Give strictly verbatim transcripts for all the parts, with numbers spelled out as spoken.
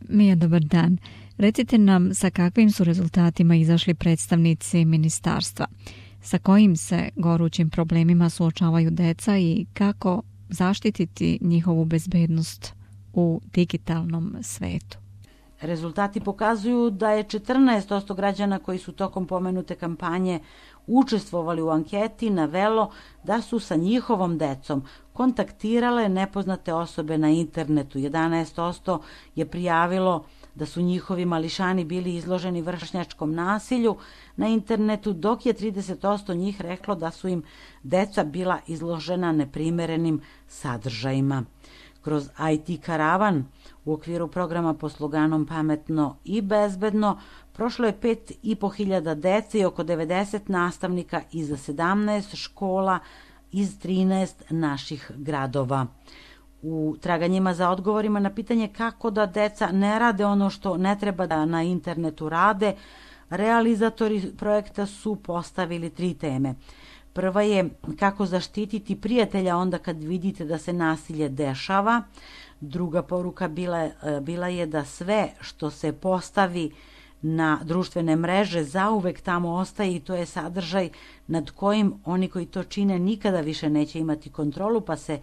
Mija, dobar dan. Recite nam sa kakvim su rezultatima izašli predstavnici ministarstva, sa kojim se gorućim problemima suočavaju deca i kako zaštititi njihovu bezbednost u digitalnom svetu. Rezultati pokazuju da je četrnaest posto građana koji su tokom pomenute kampanje učestvovali u anketi navelo da su sa njihovom decom kontaktirale nepoznate osobe na internetu. jedanaest posto je prijavilo da su njihovi mališani bili izloženi vršnjačkom nasilju na internetu, dok je trideset posto njih reklo da su im deca bila izložena neprimerenim sadržajima. Kroz I T karavan u okviru programa pod sloganom Pametno i bezbedno prošlo je pet i po hiljada dece i oko devedeset nastavnika iz sedamnaest škola iz trinaest naših gradova. U traganjima za odgovorima na pitanje kako da deca ne rade ono što ne treba da na internetu rade, realizatori projekta su postavili tri teme. Prva je kako zaštititi prijatelja onda kad vidite da se nasilje dešava. Druga poruka bila, bila je da sve što se postavi na društvene mreže zauvek tamo ostaje i to je sadržaj nad kojim oni koji to čine nikada više neće imati kontrolu, pa se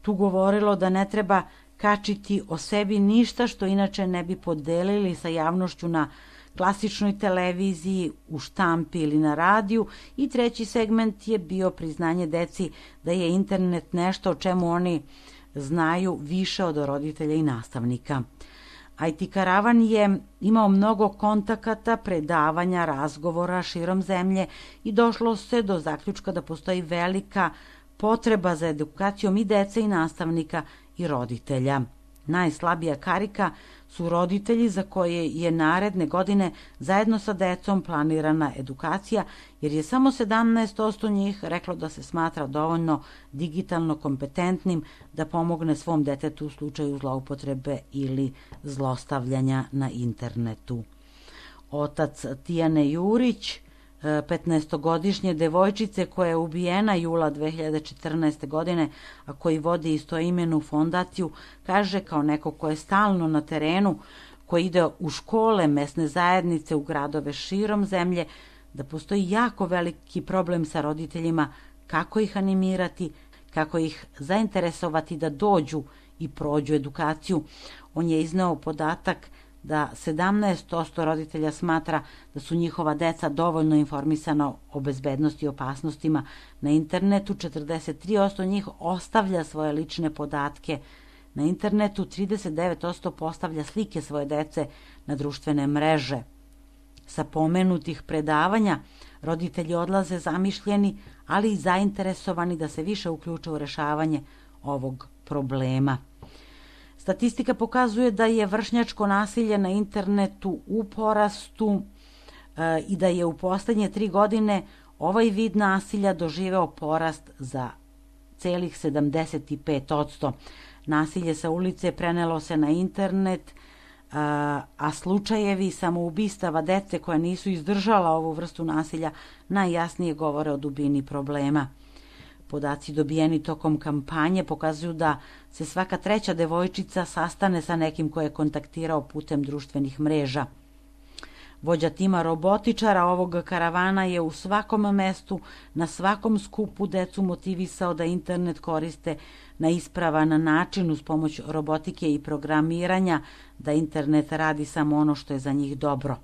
tu govorilo da ne treba kačiti o sebi ništa što inače ne bi podelili sa javnošću na klasičnoj televiziji, u štampi ili na radiju. I treći segment je bio priznanje deci da je internet nešto o čemu oni znaju više od roditelja i nastavnika. I T karavan je imao mnogo kontakata, predavanja, razgovora širom zemlje i došlo se do zaključka da postoji velika potreba za edukacijom i dece i nastavnika i roditelja. Najslabija karika su roditelji za koje je naredne godine zajedno sa decom planirana edukacija, jer je samo sedamnaest posto njih reklo da se smatra dovoljno digitalno kompetentnim da pomogne svom detetu u slučaju zloupotrebe ili zlostavljanja na internetu. Otac Tijane Jurić, petnaestogodišnje devojčice koja je ubijena jula dve hiljade četrnaeste. godine, a koji vodi istoimenu fondaciju, kaže kao neko ko je stalno na terenu, koji ide u škole, mesne zajednice, u gradove širom zemlje, da postoji jako veliki problem sa roditeljima kako ih animirati, kako ih zainteresovati da dođu i prođu edukaciju. On je izneo podatak da sedamnaest posto roditelja smatra da su njihova deca dovoljno informisana o bezbednosti i opasnostima na internetu, četrdeset tri posto njih ostavlja svoje lične podatke na internetu, trideset devet posto postavlja slike svoje dece na društvene mreže. Sa pomenutih predavanja roditelji odlaze zamišljeni, ali i zainteresovani da se više uključe u rešavanje ovog problema. Statistika pokazuje da je vršnjačko nasilje na internetu u porastu e, i da je u poslednje tri godine ovaj vid nasilja doživeo porast za celih sedamdeset pet posto. Nasilje sa ulice prenelo se na internet, a, a slučajevi samoubistava dece koja nisu izdržala ovu vrstu nasilja najjasnije govore o dubini problema. Podaci dobijeni tokom kampanje pokazuju da se svaka treća devojčica sastane sa nekim ko je kontaktirao putem društvenih mreža. Vođa tima robotičara ovog karavana je u svakom mestu, na svakom skupu decu motivisao da internet koriste na ispravan način uz pomoć robotike i programiranja, da internet radi samo ono što je za njih dobro.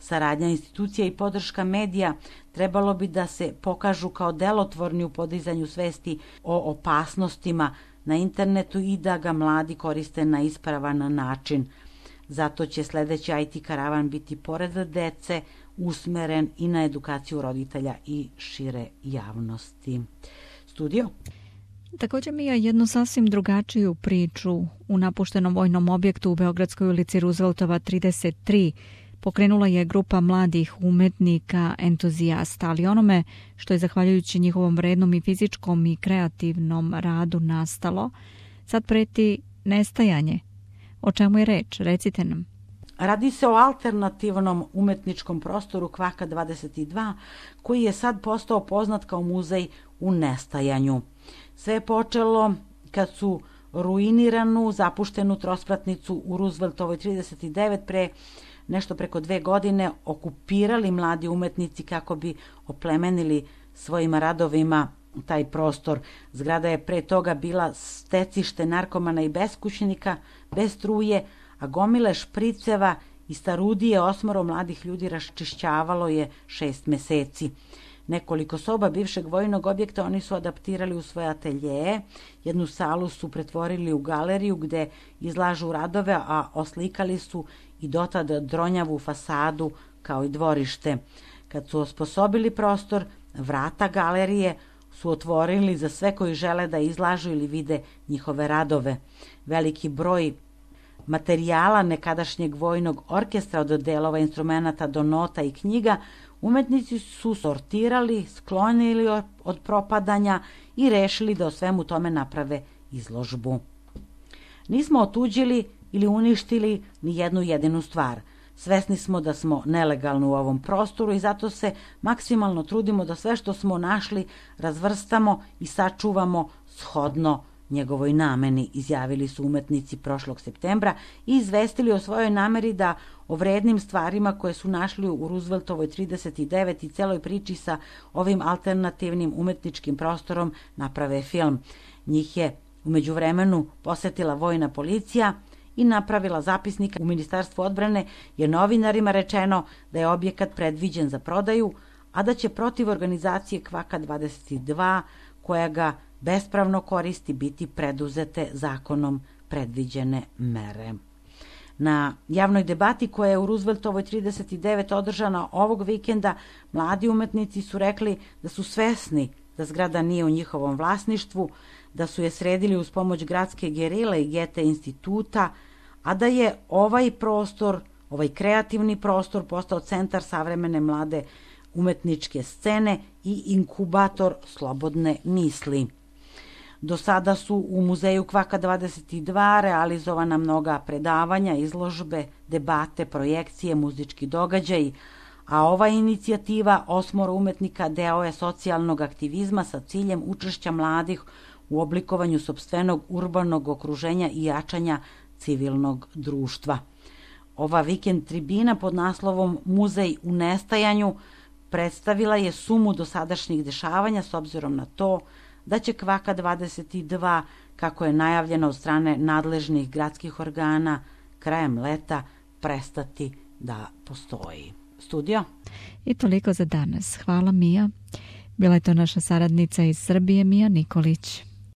Saradnja institucija i podrška medija trebalo bi da se pokažu kao delotvorni u podizanju svesti o opasnostima na internetu i da ga mladi koriste na ispravan način. Zato će sledeći I T karavan biti pored dece usmeren i na edukaciju roditelja i šire javnosti. Studio? Također Mija jednu sasvim drugačiju priču u napuštenom vojnom objektu u Beogradskoj ulici Rooseveltova trideset tri pokrenula je grupa mladih umetnika, entuzijasta, ali onome što je zahvaljujući njihovom vrednom i fizičkom i kreativnom radu nastalo, sad preti nestajanje. O čemu je reč? Recite nam. Radi se o alternativnom umetničkom prostoru Kvaka dvadeset dva, koji je sad postao poznat kao muzej u nestajanju. Sve je počelo kad su ruiniranu, zapuštenu trospratnicu u Rooseveltovoj trideset devet pre nešto preko dve godine okupirali mladi umetnici kako bi oplemenili svojim radovima taj prostor. Zgrada je pre toga bila stecište narkomana i beskućnika, bez struje, a gomile špriceva i starudije osmoro mladih ljudi raščišćavalo je šest meseci. Nekoliko soba bivšeg vojnog objekta oni su adaptirali u svoje ateljeje, jednu salu su pretvorili u galeriju gde izlažu radove, a oslikali su i dotad dronjavu fasadu kao i dvorište. Kad su osposobili prostor, vrata galerije su otvorili za sve koji žele da izlažu ili vide njihove radove. Veliki broj materijala nekadašnjeg vojnog orkestra, od delova instrumenta do nota i knjiga, umetnici su sortirali, sklonili od propadanja i rešili da o svemu tome naprave izložbu. Nismo otuđili ili uništili ni jednu jedinu stvar. Svesni smo da smo nelegalni u ovom prostoru i zato se maksimalno trudimo da sve što smo našli razvrstamo i sačuvamo shodno njegovoj nameni, izjavili su umetnici prošlog septembra i izvestili o svojoj nameri da o vrednim stvarima koje su našli u Rooseveltovoj trideset devet i celoj priči sa ovim alternativnim umetničkim prostorom naprave film. Njih je u međuvremenu posetila vojna policija i napravila zapisnik. U Ministarstvu odbrane je novinarima rečeno da je objekat predviđen za prodaju, a da će protiv organizacije Kvaka dvadeset dva, koja ga bespravno koristi, biti preduzete zakonom predviđene mere. Na javnoj debati koja je u Rooseveltovoj trideset devet održana ovog vikenda, mladi umetnici su rekli da su svesni da zgrada nije u njihovom vlasništvu, da su je sredili uz pomoć gradske gerile i Gete instituta, a da je ovaj prostor, ovaj kreativni prostor postao centar savremene mlade umetničke scene i inkubator slobodne misli. Do sada su u muzeju Kvaka dvadeset dva realizovana mnoga predavanja, izložbe, debate, projekcije, muzički događaji, a ova inicijativa osmoro umetnika deo je socijalnog aktivizma sa ciljem učešća mladih u oblikovanju sopstvenog urbanog okruženja i jačanja civilnog društva. Ova vikend tribina pod naslovom Muzej u nestajanju predstavila je sumu dosadašnjih dešavanja s obzirom na to da će Kvaka dvadeset dva, kako je najavljeno od strane nadležnih gradskih organa, krajem leta prestati da postoji. Studio? I toliko za danas. Hvala, Mija. Bila je to naša saradnica iz Srbije, Mija Nikolić.